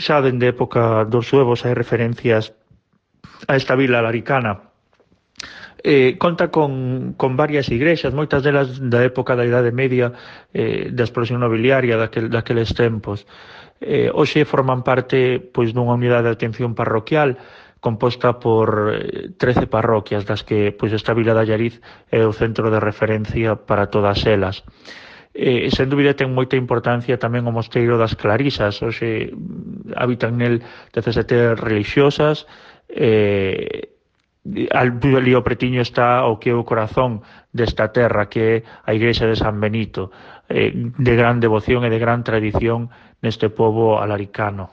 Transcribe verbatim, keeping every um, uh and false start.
xa dende a época dos suevos hai referencias a esta vila laricana. Eh, conta con, con varias igrexas, moitas delas da época da Idade Media, eh, da explosión nobiliaria daquel, daqueles tempos. Eh, hoxe forman parte pois dunha unidade de atención parroquial composta por eh, trece parroquias, das que pois esta vila de Allariz é o centro de referencia para todas elas. Eh, sen dúbida ten moita importancia tamén o mosteiro das Clarisas. Hoxe habitan nel dezasete religiosas. eh, ali ao pretiño está o que é o corazón desta terra, que é a igrexa de San Benito, eh, de gran devoción e de gran tradición neste pobo alaricano.